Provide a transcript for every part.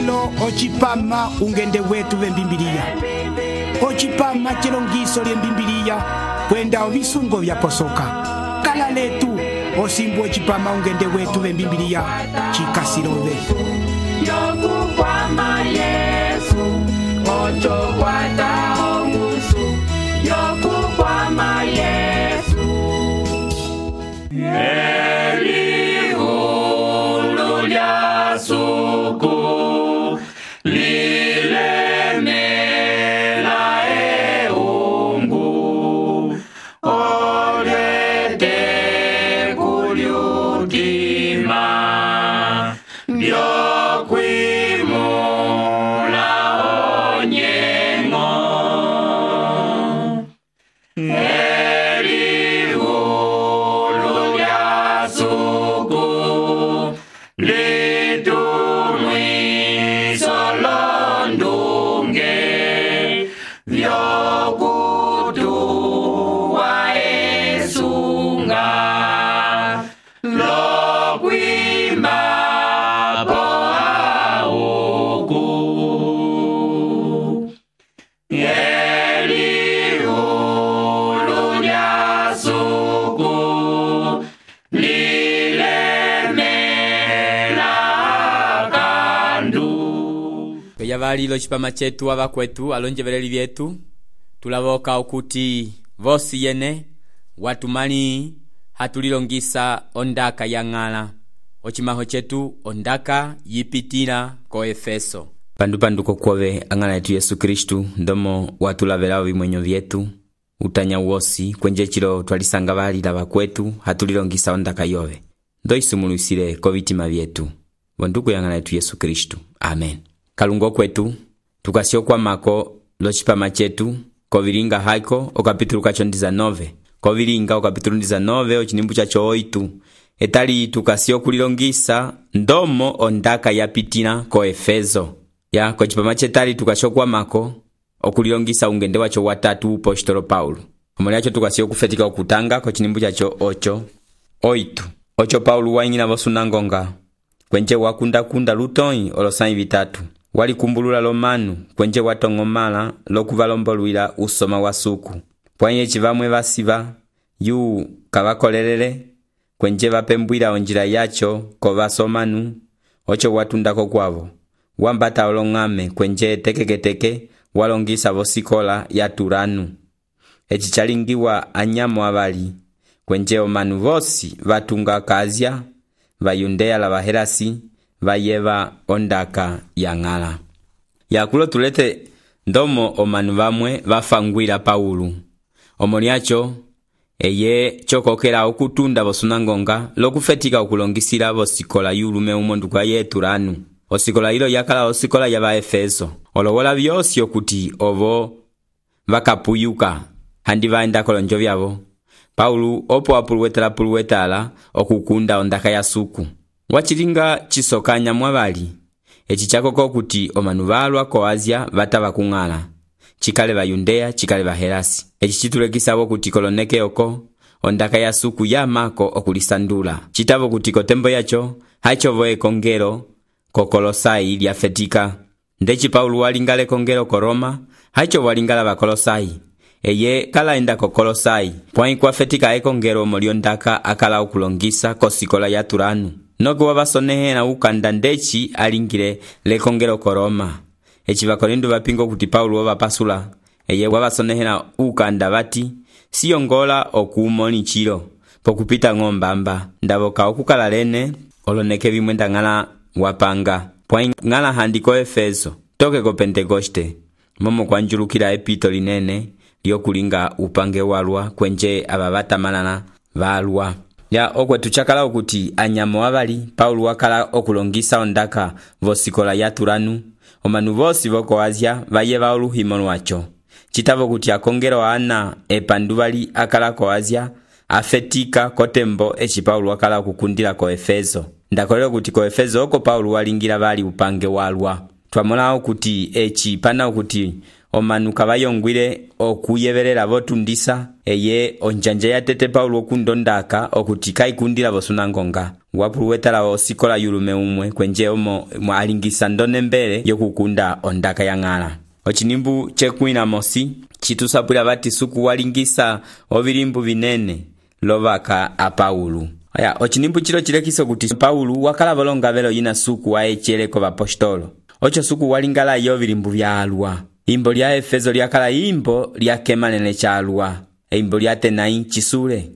lilo ocipama ungende wetu vembimbiliya. Ocipama celongiso lyembimbiliya kwenda ovisungo vyaposoka. Kala letu osimbu ocipama ungende wetu vembimbiliya cikasilove. Yokukwama Yesu ocho kwata ongusu. Yokukwama Yesu elihulu lya suku lilemela eungu olete kulyutima lyokwimula onyengo elihulu lya suku litumwiso londunge vyokutuwa esunga lokwima po auku elihulu lya suku lilemela kandu. Yavalilo cipama cetu avakwetu alonjeveleli vyetu tulavoka okuti vosi yene watumali hatulilongisa ondaka ya ng'ala ocimaho cetu ondaka yipitila ko Efeso. Pandu kokwove ang'ala yetu Yesu Kristu ndomo watulavelao vimwenyo vyetu utanya wosi kwenje chilo twalisanga valila vakwetu hatulilongisa ondaka yove ndo isumuluisile ko vitima vyetu vonduku ya ng'ala yetu Yesu Kristu. Amen. Kalungo kwetu tukasyokwamako locipama cetu kovilinga haiko okapitulu kacho 19 kovilinga okapitulu 19 ocinimbu cacho 8 etali tukasyokulilongisa ndomo ondaka yapitila ko Efeso ya kocipama cetali tukasyokwamako okulilongisa ungende wacho watatu upostolo Paulo omuli acho tukasyokufetika okutanga kocinimbu cacho 8 Paulo waing'ina vosunangonga kwenje wakundakunda lutoi olosai vitatu walikumbulula lomanu kwenje watong'omala lokuvalombolwila usoma wa suku pwanye civamwe vasiva yu kavakolelele kwenje vapembwila onjila yacho kovasomanu ocho watundako kwavo wambata olong'ame kwenje tekeketeke walongisa vosikola ya Turanu eci chalingiwa anyamo avali kwenje omanu vosi vatunga kazya vayundeya la vahelasi vayeva ondaka ya ng'ala yakulo tulete ndomo omanu vamwe vafangwila Paulo omoliacho eye chokokela okutunda vosunangonga lokufetika okulongisila vosikola yulume umonduka ye Turanu osikola ilo yakala osikola ya vaefeso olowola vyosi okuti ovo vakapuyuka handi vaenda kolonjo vyavo Paulo opo apuluwetala okukunda ondaka ya suku wachilinga chisokanya mwavali eci chakoko kuti omanu valwa ko Asia vatava kung'ala chikale vayundeya chikale vahelasi eci chitulekisavo kuti koloneke oko ondaka ya suku ya mako okulisandula chitavo kuti kotembo yacho hachovo ekongelo ko Kolosai lyafetika ndeci Paulo walingale kongelo ko Roma hachovo walingala va Kolosai eye kala enda ko Kolosai pwai kwafetika ekongelo moliondaka akala okulongisa kosikola ya Turanu noko wavasonehela ukanda ndeci alingile lekongelo ko Roma eci vakolindu vapingo kuti Paulo wavapasula eye wavasonehela ukanda vati siyongola okuumoni chilo pokupita ng'ombamba ndavoka okukala lene oloneke vimwenda ng'ala wapanga pwai ng'ala handi ko Efeso toke ko Pentekoste momo kwanjulukila epito linene lyokulinga upange walwa kwenje abavatamalana valwa ya okwetu chakala okuti anyamo avali Paulo wakala okulongisa ondaka vosikola ya Turanu omanu vosi voko Asia vayeva oluhimo lwacho chitavo kuti akongelo ana epanduvali akala ko Asia afetika kotembo eci Paulo wakala kukundila ko Efeso ndakolelo kuti ko Efeso oko Paulo walingila vali upange walwa twamola okuti eci pana okuti omanu kavayongwile okuyevelela votundisa eye onjanja ya tete Paulo okundondaka okuti kaikundila vosunangonga wapuluwetala osikola yulume umwe kwenje omo alingisa ndone mbele yokukunda ondaka ya ng'ala. Ochinimbu chekwina mosi chitusapwila vati suku walingisa ovilimbu vinene lovaka a Paulo. Aya, ochinimbu chilo chilekiso kuti Paulo wakala volonga velo yina suku waecheleko vapostolo. Ocho suku walingala yo vilimbu vya alwa. Imbo lya Efeso lyakala imbo lya kemanene cha alwa. Imbo lya Tenai chisule.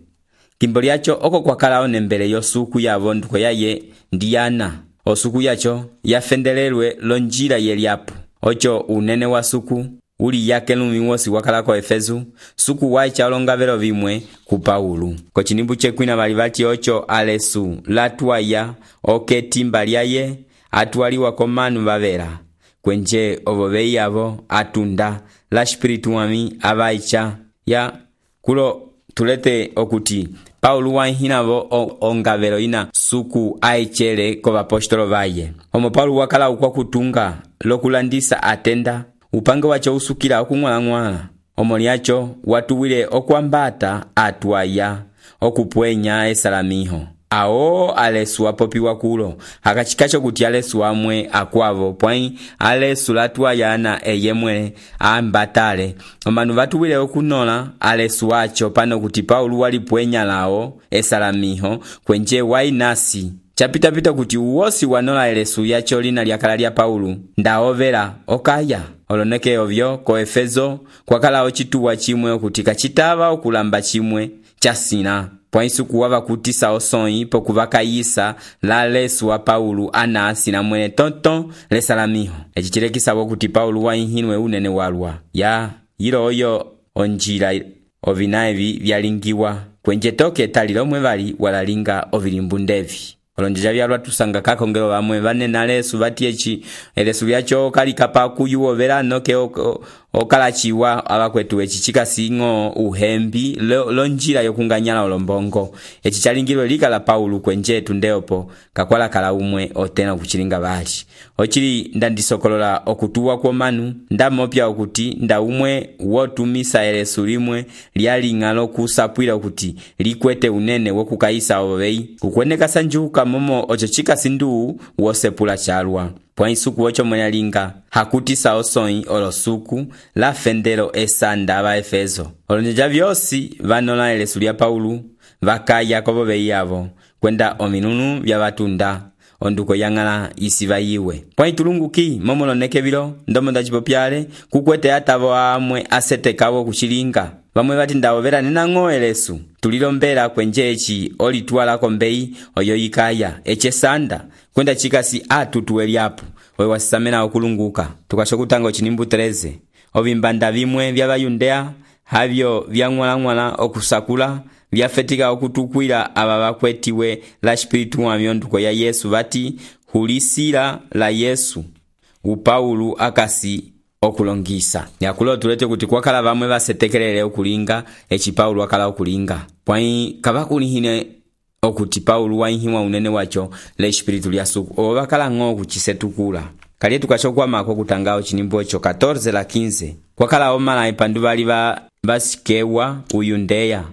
Kimbo lyacho oko kwakala onembele yo suku ya vonduko yaye Diana. Osuku yacho yafendelelwe lonjila yeliapo. Ocho unene wa suku uli yake lumiwosi wakala ko Efeso suku waicha olonga velo vimwe ku Paulo. Kochinimbu chekwina valivati ocho alesu latwaya oketimba lyaye atwaliwa komanu vavera kwenje ovovei yavo atunda la espiritu wami avaicha ya kulo tulete okuti Paulo wahinavo ongavelo ina suku aichele ko vapostolo vaye. Omo Paulo wakala ukwa kutunga lokulandisa atenda upange wacho usukila okung'wala-ng'wala. Omo lyacho watuwile okwambata atwaya okupwenya esalamiho. Awo alesu apopiwa kulo hakachikacho kuti alesu amwe akwavo pwai alesu latwaya na eyemwe ambatale. Omanu vatuwile okunola alesu wacho pano kuti Paulo walipwenya lao esalamiho kwenje wainasi. Chapitapita kuti uwosi wanola elesu yacho lina lyakala lya Paulo ndaovera okaya. Oloneke ovyo ko Efeso kwakala ochituwa chimwe okuti kachitava okulamba chimwe chasina. Pwaisuku wava kutisa osoi pokuvakayisa la lesu wa Paulo anasi na mwene tonton lesalamiho. Echichilekisa kuti Paulo wainhinwe unene walwa. Ya yilo oyo onjila ovinaevi vyalingiwa kwenje toke talilo mwe vali walalinga ovilimbu ndevi. Olonjeja vyalwa tusanga kakongelo vamwe vanena lesu vatiechi elesu lyacho kalikapa kuyuovera noke okalachiwa abakwetu echichika singo uhembi lonjira yokunganyala olombongo echichalingirwe lika la Paulo kwenje tundeopo kakwala kala umwe otena kuchilinga bali ochili ndandisokolola okutuwa kwa manu ndamopya okuti nda umwe wotumisa elesu limwe lyalingalo kusapwila okuti likwete unene wokukaisa obei ukweneka sanjuka momo ochechika sindu wosepula chalwa. Pwaisuku ocho mwenyalinga hakutisa osoi olosuku la fendelo esanda aba Efeso. Olonjeja vyosi vanola elesu lya Paulo vakaya kobobei yavo kwenda ominunu vya batunda onduko yangala isiva yiwe. Pwaitulunguki momoloneke bilo ndomo ndachipopyale kukwete atavo amwe asetekawo kuchilinga. Vamwe bati ndawovera nenango elesu tulilombera kwenjechi olitwala kombei oyo yikaya echesanda kwenda chikasi atutuweliapo wewa sisamena okulunguka. Tukashokutanga ochinimbu 13 ovimbanda vimwe vya bayundea havyo vya ngwala okusakula vyafetika okutukwila aba bakwetiwe la espiritu wa myonduko ya Yesu vati hulisila la Yesu upaulo akasi okulongisa. Yakulo tulete kuti kwakala vamwe basetekelele okulinga echi Paulo akala okulinga. Pwai kabakulihine okuti Paulo wainhiwa unene wacho le espiritu lya suku obakala ngo kuchisetukula. Kali tukachokwa mako kutangao chinimbo echo 14 la 15 kwakala omala ipandu bali basikewa uyundeya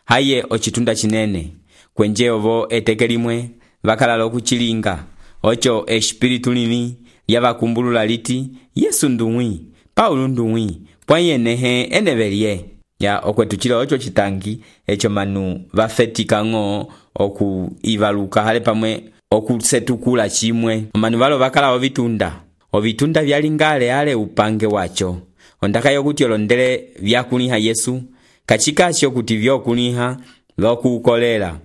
haye ochitunda chinene kwenje ovo etekelimwe bakala lokuchilinga ocho espiritu lini yabakumbulula liti Yesu ndumwi Paulo ndumwi pwayenehe enebelie ya okwetuchila ocho chitangi echo manu bafetika ngo okuivaluka hale pamwe okusetukula chimwe manu balo bakala ovitunda vyalingale ale upange wacho ondaka yokuti olondele vyakuniha Yesu kachikachi okuti vyokuniha vyokukolela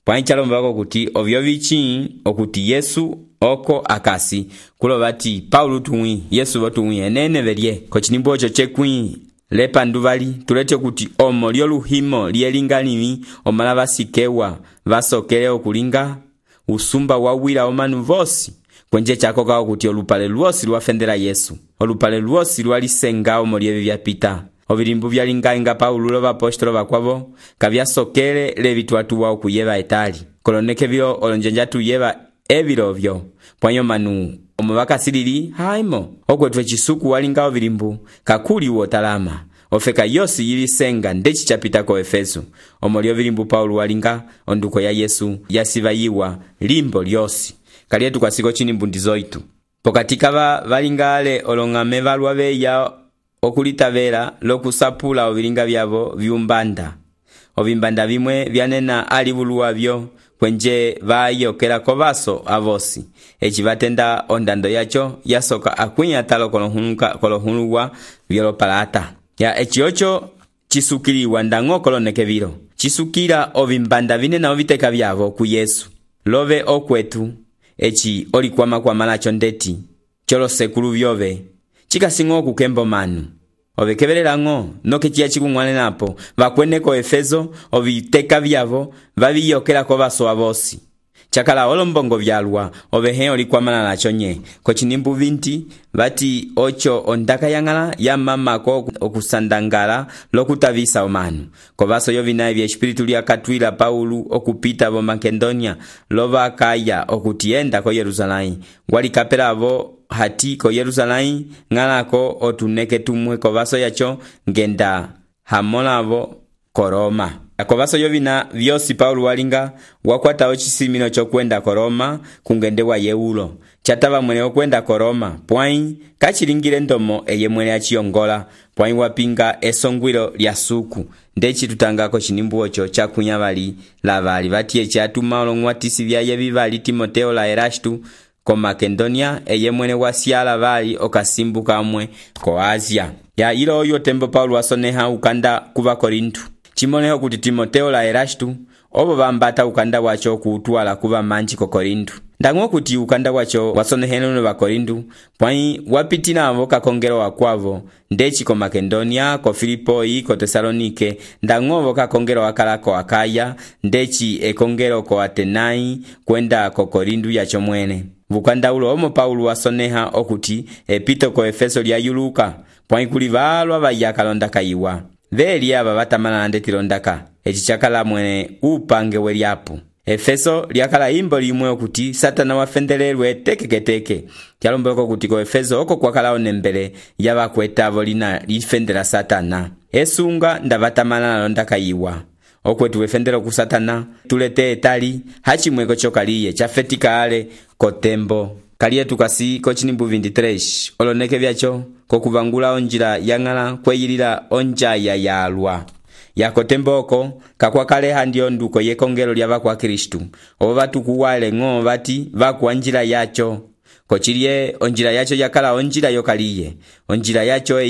pwaichalomba wako kuti ovyo vichi okuti Yesu oko akasi kulo bati Paulo tuwi Yesu botuwi enene belie kochinimbo ocho chekwi lepa nduvali tulete kuti omo lyo luhimo lielingalimi omala basikewa basokele okulinga usumba wawila omanu vosi kwenje chako kao kuti olupale luosi luafendela Yesu olupale luosi lualisenga omo lievi vyapita ovilimbu vyalinga Paulo lo bapostolo bakwavo kavyasokele levitwatuwa okuyeva etali koloneke vyo olonjenja tuyeva evilovyo pwanyo manu omo vakasilili haimo okwetu ecisuku walinga ovilimbu kakuli wotalama ofeka yosi yilisenga ndeci chapita ko Efeso omo lyovilimbu Paulo walinga onduko ya Yesu yasivayiwa limbo lyosi kalietu kwasiko chinimbundizo itu pokati kava valingale olong'ame valwa veya okulitavela lokusapula ovilinga vyavo vyumbanda ovimbanda vimwe vyanena alivulu wavyo kwenje vayokela kovaso avosi eci vatenda ondando yacho yasoka akwinya talo kolohuluwa vyolopalata ya eci ocho chisukiliwa ndango koloneke vilo chisukila ovimbanda vinena oviteka vyavo ku Yesu love okwetu eci olikwama lacho ndeti cholosekulu vyove chikasingo okukembo manu ovekevelela noke chiya chikung'wanenapo vakwene ko Efeso oviteka vyavo vaviyokela kovaso avosi chakala olombongo vyalwa ovehe olikwamana lacho nye kochinimbu 20 vati ocho ondaka yang'ala ya mamako okusandangala lokutavisa omanu kovaso yovinaye vya espiritu lyakatwila Paulo okupita vo Makedonia lovakaya okutienda ko Yerusalai walikapela avo hati ko Yerusalai ng'alako otuneke tumwe kovaso yacho ngenda hamolavo ko Roma kovaso yovina vyosi Paulo walinga wakwata ochisimino chokwenda ko Roma kungende wa Yeulo chatava mwene okwenda ko Roma pwai kachilingile ndomo eye mwene achiyongola pwai wapinga esongwilo lya suku ndeci tutangako chinimbu ocho chakunya vali lavali vatiye chatuma olong'watisi vyaye vivali Timoteo la Erastu ko Makedonia eye mwene wasiala vali okasimbuka amwe ko Asia ya ilo oyo tembo Paulo wasoneha ukanda kuva Korintu chimoneho kuti Timoteo la Erastu obo vambata ukanda wacho kuutwala kuva manji ko Korintu ndango kuti ukanda wacho wasoneheno va Korintu pwai wapitila avo kakongelo wakwavo ndeci ko Makedonia ko Filipoi ko Tesalonike ndango kakongelo wakala ko Akaya ndeci ekongelo ko Atenai kwenda ko Korintu yacho mwene vukanda ulo omo Paulo wasoneha okuti epito ko Efeso lya yuluka pwai kuli valwa vayakalonda kayiwa veli ava vatamana ndetilondaka eci chakala mwene upange welyapo Efeso lyakala imbo limwe okuti Satana wafendelelwe tekeketeke kyalombeko kuti ko Efeso oko kwakala onembele yavakwetavo lina lifendela Satana esunga ndavatamana nalondaka yiwa okwetu wefendelo ku Satana tulete etali hachimweko chokaliye chafetika ale kotembo kalietu kasi kochinimbu 23 oloneke vyacho kokuvangula onjila yang'ala kweyilila onjaya yalwa yakotemboko kakwakale handiyo nduko yekongelo lyava kwa Kristu obo vatukuwale ng'o vati vakwa njila yacho kochilye onjila yacho yakala onjila yokaliye onjila yacho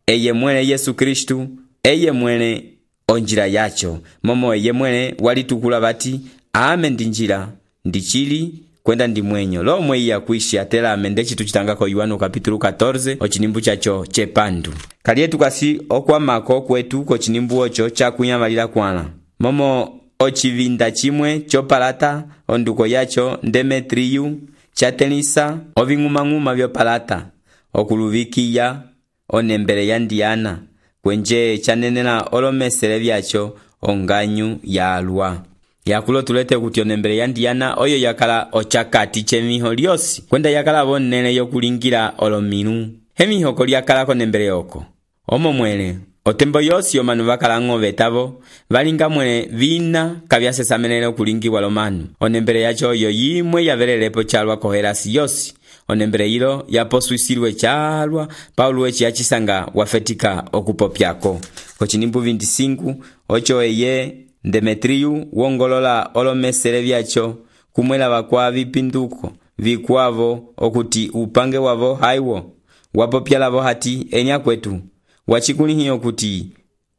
eye mwene Yesu Kristu eye mwene onjila yacho momo eye mwene walitukula vati ame ndinjila ndichili kwenda ndimwenyo lo mwe ya kuishi atela amendechi tuchitangako Yohana kapitulu 14 ochinimbu chacho chepandu kalietu kasi okwamako kwetu ko chinimbu ocho chakunyamalira kwana momo ochivinda chimwe chopalata onduko yacho Demetriu chatelisa oving'umang'uma vyopalata okuluvikiya onembele ya Ndiana kwenje chanenela olomesele vyacho onganyu yalwa yakulo tulete kuti onembele ya Ndiana oyo yakala ochakati chemiho lyosi kwenda yakala vonene yokulingira olominu hemiho kolyakala konembele yoko omo mwene otembo yosi omanu vakala ng'ovetavo valinga mwene vina kavyasesamenele okulingiwa lomanu onembele yacho oyo yimwe yavelelepo chalwa koherasi yosi onembele ilo yaposwisilwe chalwa Paulo eci yachisanga wafetika okupopyako kochinimbu 25 ocho eye Demetriu wongolola olomesele vyacho kumwela vakwa vipinduko vikwavo okuti upange wavo haiwo wapopyalavo hati enya kwetu wachikulihiyo kuti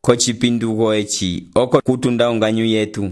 kochipinduko eci oko kutunda onganyu yetu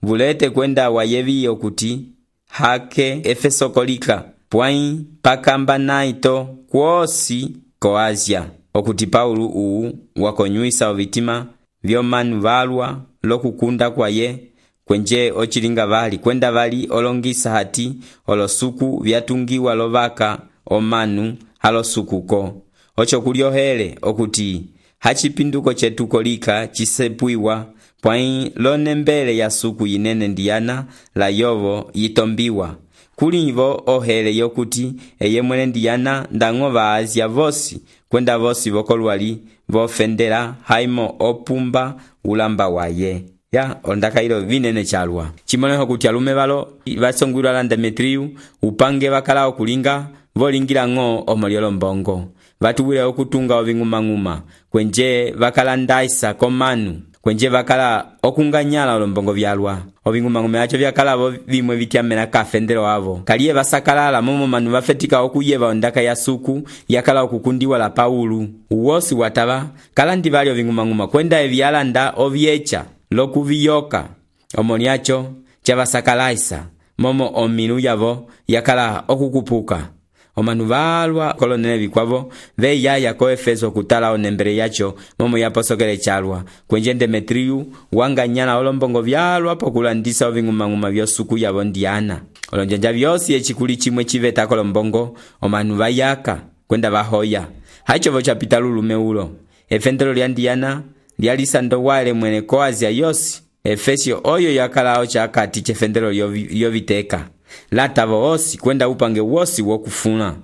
vulete kwenda wayevi okuti hake Efeso kolika pwai pakamba naito kwosi ko Asia okuti Paulo uu wakonyuisa ovitima vyomanu valwa lokukunda kwaye kwenje ochilinga vali kwenda vali olongisa hati olosuku vyatungiwa lovaka omanu halosukuko ocho kuliohele okuti hachipinduko chetu kolika chisepuiwa pwai lonembele ya suku yinene Ndiana la yovo yitombiwa kulivo ohele yokuti eye mwene Diana ndango vaazya vosi kwenda vosi vokolwali vofendela haimo opumba ulamba waye. Ya ondaka ilo vinene chalwa chimoneho kuti alume valo vasongwilwa la Demetriu upange vakala okulinga volingira ng'o omoliolo mbongo vatuwile okutunga oving'umang'uma kwenje vakala ndaisa komanu kwenje vakala okunganyala olombongo vyalwa oving'umang'uma yacho vyakala vimwe vityamela kafendelo avo kaliye vasakalala momo manu vafetika okuyeva ondaka ya suku yakala okukundiwa la Paulu uwosi watava kala ndivali oving'umang'uma kwenda evyalanda ovyecha lokuviyoka omoliacho chavasakalaisa momo omilu yavo yakala okukupuka omanu valwa kolonele vikwavo veyaya ko Efeso kutala onembele yacho momo yaposokele chalwa kwenje Demetriu wanganyala olombongo vyalwa pokulandisa oving'umang'uma vyosuku yavo Diana olonjanja vyosi echikuli chimwe chiveta kolombongo omanu vayaka kwenda vahoya haichovo chapita lulume ulo efendelo lya Diana lyalisando wale mwene ko Asia yosi Efesio oyo yakalao chakati chefendelo lyoviteka latavo osi kwenda upange wosi wokufuna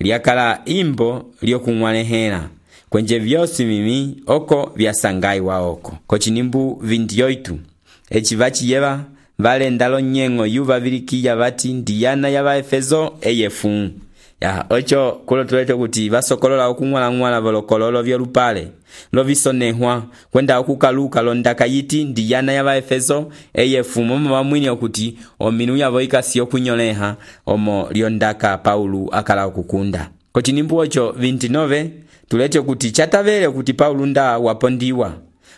lyakala imbo lyokung'walehela kwenje vyosi mimi oko vyasangaiwa oko kochinimbu 28 echi vachiyeva valendalo nyeng'o yuva vilikiya vati Diana ya Vaefeso eyefu ya ocho kulo tulete kuti vasokolola okung'wala volokololo vyolupale lovisonehwa kwenda okukaluka londaka yiti Diana ya Vaefeso eyefu momo vamwini okuti ominu yavo ikasi okunyoleha omo lyondaka Paulu akala okukunda kochinimbu ocho 29 tulete kuti chatavele kuti Paulu nda wapondiwa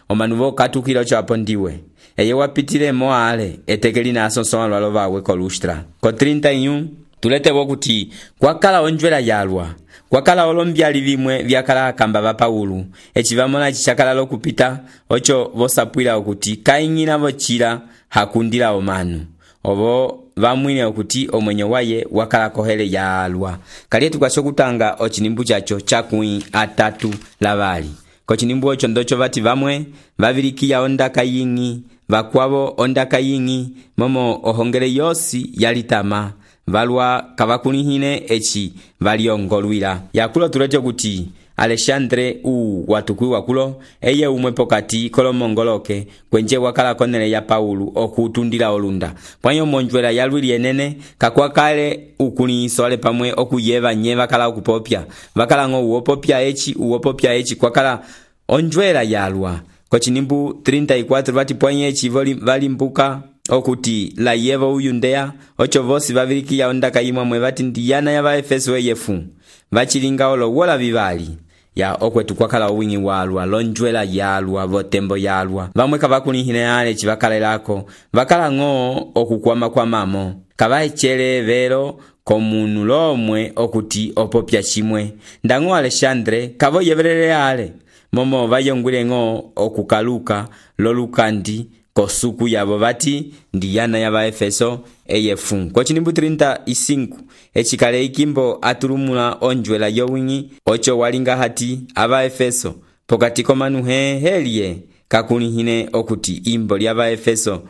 omanu vokatukila ocho apondiwe eye wapitile moale etekeli na asonsoa lwalo vawe ko Lustra ko 31 tulete kuti kwakala onjwela yalwa kwakala olombyali vimwe vyakala akamba va Paulu echivamona chichakala lokupita ocho vosapwila okuti kaing'ina vochila hakundila omanu ovo vamwine okuti omwenyo waye wakala kohele yalwa kaliye tukasho kutanga ochinimbu chacho chakui atatu lavali kochinimbu ocho ndocho vati vamwe vavilikiya ondaka ying'i vakwavo ondaka ying'i momo ohongele yosi yalitama valwa kavakunihine echi valiongolwila yakulo tulete kuti Alexandre watukwiwa kulo eye umwe pokati kolomongoloke kwenje wakala konele ya Paulu okutundila olunda pwanyo monjwela yalwili enene kakwakale ukuniso ale pamwe okuyeva nye vakala okupopya vakala ngo uwopopya echi kwakala onjwela yalwa kochinimbu 34 vati pwanyo echi valimbuka okuti la yevo uyundea ocho vosi vavilikiya ondaka imwe vati Diana ya Vaefeso eyefu vachilinga olo wola vivali ya okwetu kwakala wingi walwa lonjwela yalwa votembo yalwa vamwe kavakunihine ale chivakalelako vakala ng'o okukwama kwa mamo kavaechele vero komunu lomwe okuti opopya chimwe ndango Alexandre kavoyevelele ale momo vayongwile ng'o okukaluka lolukandi kosuku yavo vati Diana ya Vaefeso eyefu kochinimbu 35 echikale ikimbo atulumula onjwela yowingi ocho walinga hati Avaefeso pokati komanu helie kakunihine okuti imbo lya Vaefeso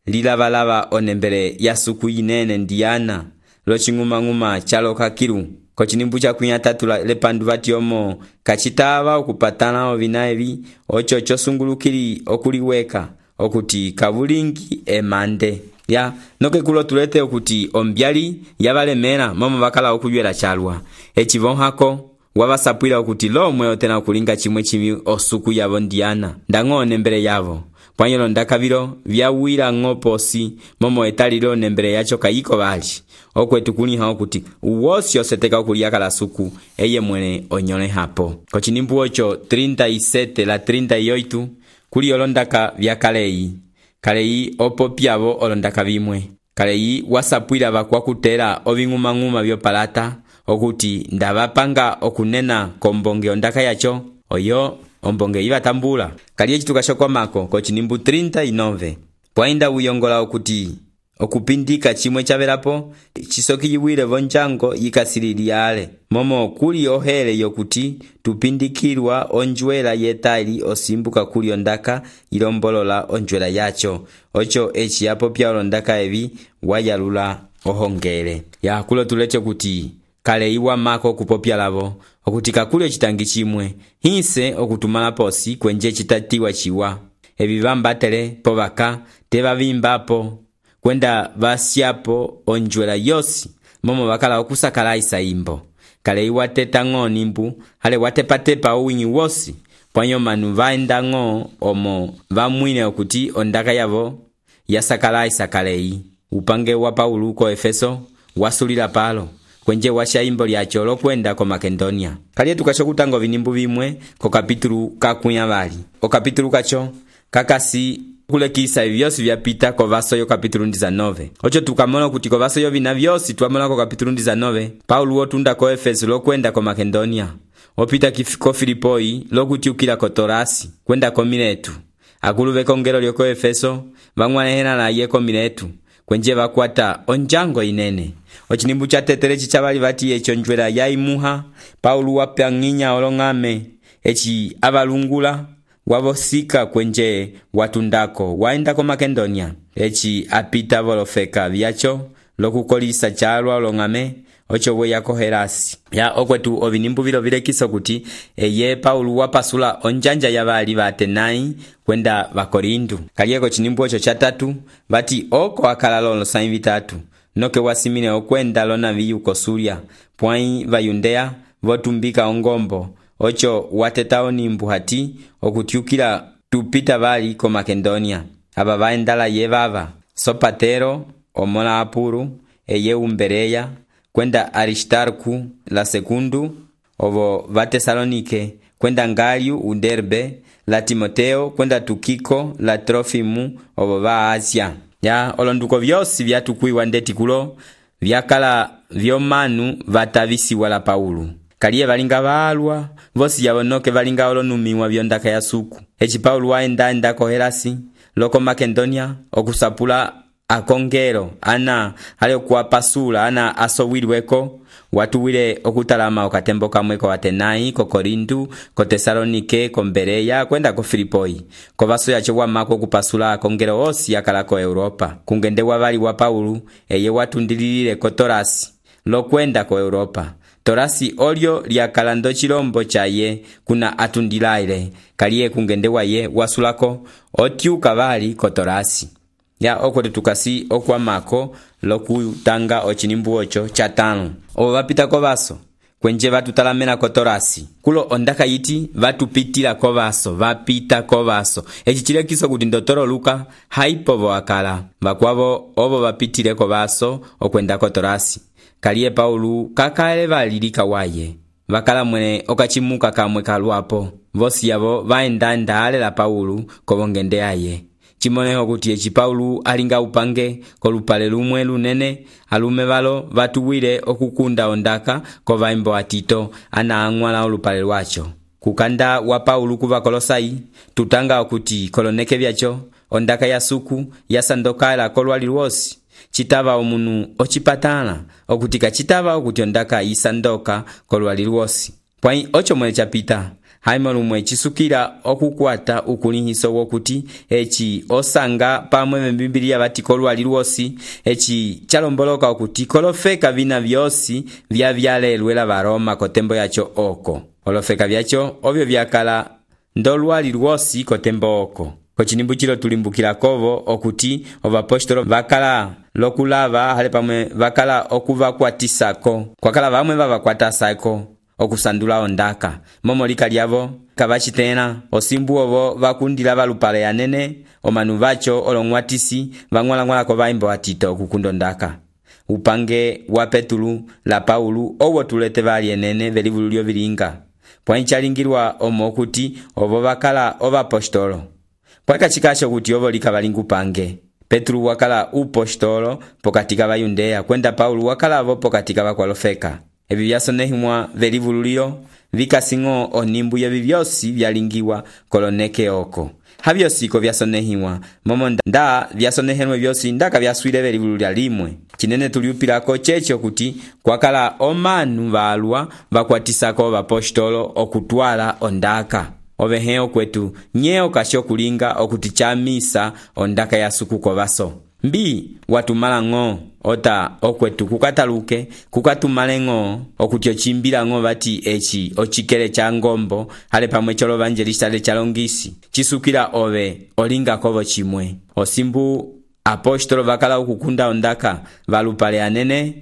lilavalava onembele ya suku inene Diana loching'umang'uma chaloka kilu kochinimbu cha kunyatatu lepandu vati omo kachitava okupatana ovina evi ocho chosungulukili okuliweka okuti kabulingi emande ya noke kulo tulete okuti ombyali yabalemera momo bakala okuyela chalwa echivonhako wabasapwila okuti lomwe otena okulinga chimwe chimi osuku yabo Diana ndang'one mbere yavo pwanyelo ndakavilo vyawira ng'oposi momo etalilo nembere yacho kayiko bali okwetu kuniha okuti uwosi oseteka okuliaka la suku eye mwene onyole hapo kochinimbu ocho 37 la 38 kuli olondaka vya kaleyi opopyavo olondaka vimwe kaleyi wasapwila vakwakutela oving'umang'uma vyopalata okuti ndavapanga okunena kombonge ondaka yacho oyo ombonge ivatambula kaliye chituka shokwamako kochinimbu 39 pwainda uyongola okuti okupindika chimwe chavelapo chisokiyiwile vonjango yikasililiyale momo kuli ohele yokuti tupindikilwa onjwela yetali osimbuka kuli ondaka ilombolola onjwela yacho ocho echi yapo pya olondaka evi wayalula ohongele ya kulo tulete kuti kale iwa mako kupopya lavo okuti kakuli ocitangi cimwe hinse okutumala posi kwenje citatiwa ciwa evi vambatele po vaka te vavimbapo kwenda vasyapo onjwela yosi momo vakala okusakala isaimbo kale iwa tetang'o nimbu hale watepatepa uwinyi wosi pwanyo manu vaendang'o omo vamwine okuti ondaka yavo yasakala isakalei upange wa Paulo ko Efeso wasulila palo kwenje washa imbo lyacho lokwenda ko Makedonia kaliye tukashokutanga vinimbu vimwe ko kapitulu kakunya vali o kapitulu kacho kakasi kulekisa vyosi vyapita ko vaso yo kapitulu 19 ocho tukamona kuti ko vaso yo vina vyosi twamona ko kapitulu 19 Paulo otunda ko Efeso lokwenda ko Makedonia opita ko Filipoi lokutiukila ko Torasi kwenda ko Miletu akulu vekongelo lyo ko Efeso vang'wanehena na ye ko Miletu kwenje vakwata onjango inene ochinimbu cha tetere chichavali vati echo njwela yaimuha Paulo wapyanginya olong'ame echi avalungula wavosika kwenje watundako waenda ko Makedonia echi apita volofeka vyacho lokukolisa chalwa olong'ame ocho we yako Herasi ya okwetu ovinimbu vilo vilekisa kuti eye Paulo wapasula onjanja yavali va Atenai kwenda va Korinto kalieko chinimbu ocho chatatu vati oko akala lolo sain vitatu noke wasimine okwenda lona viyu kosulia pwai va Yudea votumbika ongombo ocho watetao nimbu hati okutiukila tupita vali ko Makedonia aba vaendala yevava Sopatero omola apuru eye Umbereya kwenda Aristarku la sekundu ovo va Tesalonike kwenda Ngaliu Uderbe la Timoteo kwenda Tukiko la Trofimu ovo va Asia ya olonduko vyosi vyatukuiwa ndeti kulo vyakala vyomanu vatavisi wala Paulo kaliye valinga valwa vosi yavonoke valinga olonumiwa vyondaka ya suku echi Paulo waenda ko Herasi loko Makedonia okusapula akongero ana hale kuwapasula ana asowilweko watuwile okutalama okatembo kamwe ko Atenai ko Korinto ko Tesalonike ko Mbereya kwenda ko Filipoi ko vaso yacho wamako kupasula akongero osi akala ko Europa kungende wavali wa Paulo eye watundililile ko Torasi lokwenda ko Europa Torasi olyo lyakalando chilombo chaye kuna atundilaile kaliye kungende waye wasulako otyuka vali ko Torasi ya okote tukasi okwamako lokutanga ochinimbu ocho chatano ovo vapita ko vaso kwenje vatutalamena ko Torasi kulo ondaka yiti vatupitila ko vaso vapita ko vaso echi chilekiso kuti ndotoro Luka haipovo akala vakwavo ovo vapitile ko vaso okwenda ko Torasi kaliye Paulo kakale valilika waye vakala mwene okachimuka kamwe kalwapo vosi yavo vaenda alela Paulo kovongende aye chimoneho kuti echi Paulo alinga upange kolupale lumwe lunene alume valo vatuwile okukunda ondaka ko vaimbo atito ana ang'wala olupale lwacho kukanda wa Paulo kuva Kolosai tutanga okuti koloneke vyacho ondaka ya suku yasandokala kolwali lwosi chitava omunu ochipatala okutika chitava okuti ondaka isandoka kolwali lwosi pwai ocho mwene chapita haimo lumwe chisukila okukwata ukulihiso wokuti echi osanga pamwe Biblia vati kolwali lwosi echi chalomboloka okuti kolofeka vina vyosi vyavyalelwela varoma kotembo yacho oko olofeka vyacho ovyo vyakala ndolwali lwosi kotembo oko kochinimbu chilo tulimbukila kovo okuti ovapostolo vakala lokulava hale pamwe vakala okuvakwatisako kwakala vamwe vavakwatasako okusandula ondaka momo lika lyavo kavachitena osimbu ovo vakundila valupale yanene omanu vacho olong'watisi vang'walang'wala ko vaimbo atito okukunda ondaka upange wa Petulu la Paulo owo tulete vali enene velivulu lyo vilinga pwanchalingilwa omo kuti ovo vakala ovapostolo pwakachikasho kuti ovo lika valinga upange Petulu wakala upostolo pokati ka Bayudea kwenda Paulo wakala avo pokati ka vakwalofeka evi vyasonehimwa velivululilo vikasing'o onimbu yevi vyosi vyalingiwa koloneke oko havyosiko vyasonehimwa momo nda vyasonehenwe vyosi ndaka vyaswile velivululya limwe chinene tuliupilako checho kuti kwakala omanu valwa vakwatisako vapostolo okutwala ondaka oveheo kwetu nyeo kasho kulinga okuti chamisa ondaka ya suku ko vaso mbi watumala ng'o ota okwetu kukataluke kukatumale ng'o okuti ocimbila ng'o bati eci ocikele cha ngombo hale pamwe cholo evangelista le chalongisi chisukila ove olinga kovo chimwe osimbu apostolo bakala okukunda ondaka valupale anene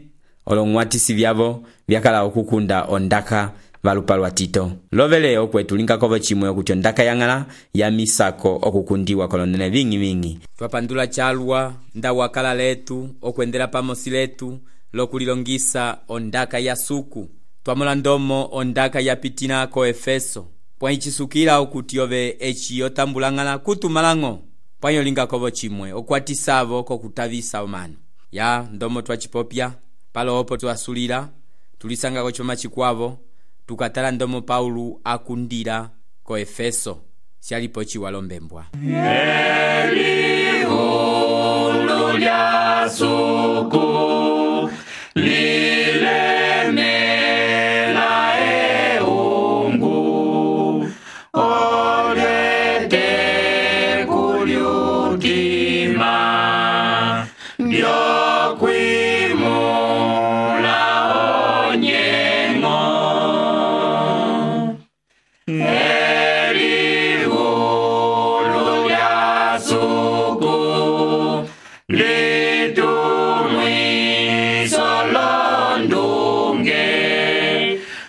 olong'watisi vyavo byakala okukunda ondaka valupalwa Tito lovele okwetu linga kovo chimwe okuti ondaka yang'ala ya misako okukundiwa kolonene vingi twapandula chalwa nda wakala letu okwendela pamosi letu lokulilongisa ondaka ya suku twamula ndomo ondaka ya pitina ko Efeso pwaichisukila okuti ove eci otambulang'ala kutumalang'o pwanyo linga kovo chimwe okwatisavo kokutavisa omano ya ndomo twachipopya palo opo twasulila tulisanga kochoma chikwavo tukatala ndomo Paulo akundira ko Efeso sialipo chiwalombembwa Elihulu lya suku lilemela eungu olete kulyutima ndyokwimula onyengo Elihulu lya suku litumwiso londunge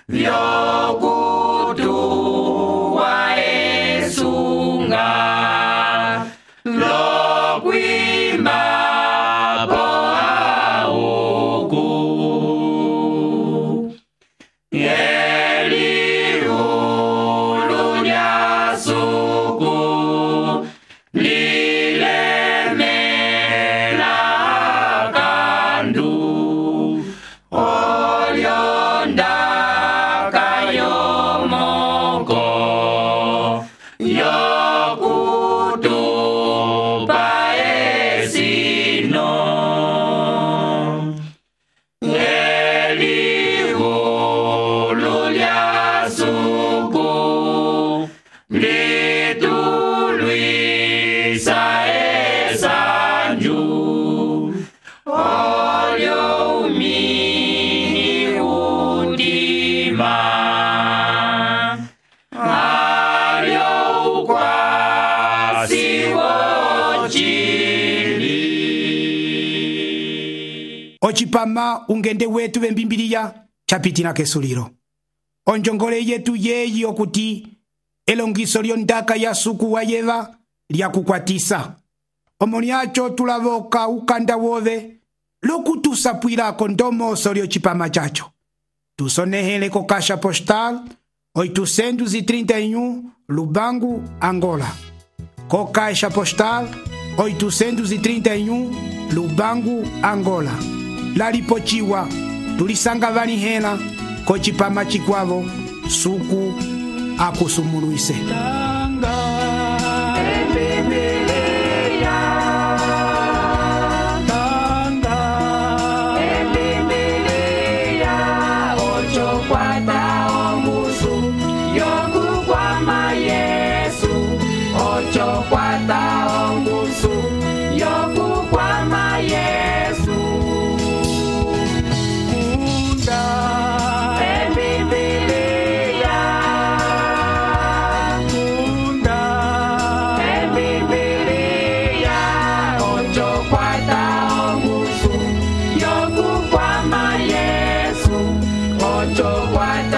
vyokutuwa esunga lokwimba po auku Elihulu lya suku lilemela kandu olyondaka yomoko yokutupa esino Elihulu lya suku litulwisa esanju olyo umini udima alyo ukwasi wochili ocipama ungende wetu vembimbiliya chapitina kesulilo onjongole yetu yeyi okuti elongiso lyondaka ya suku wa yeva lyakukwatisa omo lyacho tulavoka ukanda wove lokutusapwilako ndomoso lyocipama chacho tusonehele ko Caixa Postal 831 Lubangu, Angola. Ko Caixa Postal 831 Lubangu, Angola. Lalipochiwa tulisanga valihela ko cipama chikwavo suku akusumuluise. What